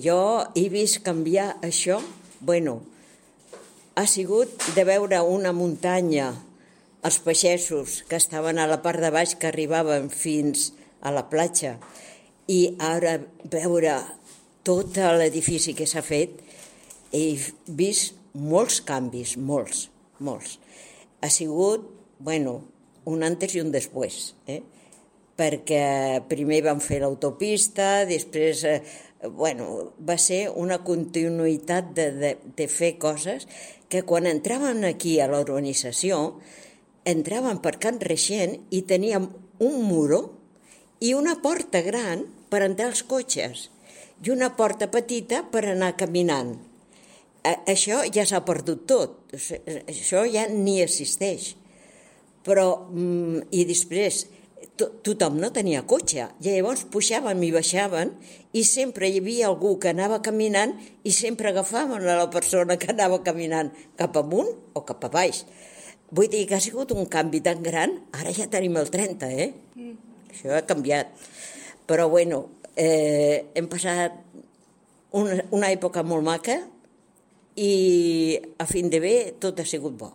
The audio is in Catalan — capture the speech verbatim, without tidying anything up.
Jo he vist canviar això, bueno, ha sigut de veure una muntanya, els peixessos que estaven a la part de baix que arribaven fins a la platja, i ara veure tot l'edifici que s'ha fet, he vist molts canvis, molts, molts. Ha sigut, bueno, un antes i un després, eh? Perquè primer van fer l'autopista, després, eh, bueno, va ser una continuïtat de, de, de fer coses que quan entraven aquí a la urbanització, entraven per Can Reixent i teníem un muro i una porta gran per entrar als cotxes i una porta petita per anar caminant. Això ja s'ha perdut tot, això ja ni existeix. Però, i després, tothom no tenia cotxe, i llavors pujaven i baixaven i sempre hi havia algú que anava caminant i sempre agafaven a la persona que anava caminant cap amunt o cap a baix. Vull dir que ha sigut un canvi tan gran, ara ja tenim el trenta, eh? Mm. Això ha canviat. Però, bueno, eh, hem passat una, una època molt maca i a fin de bé tot ha sigut bo.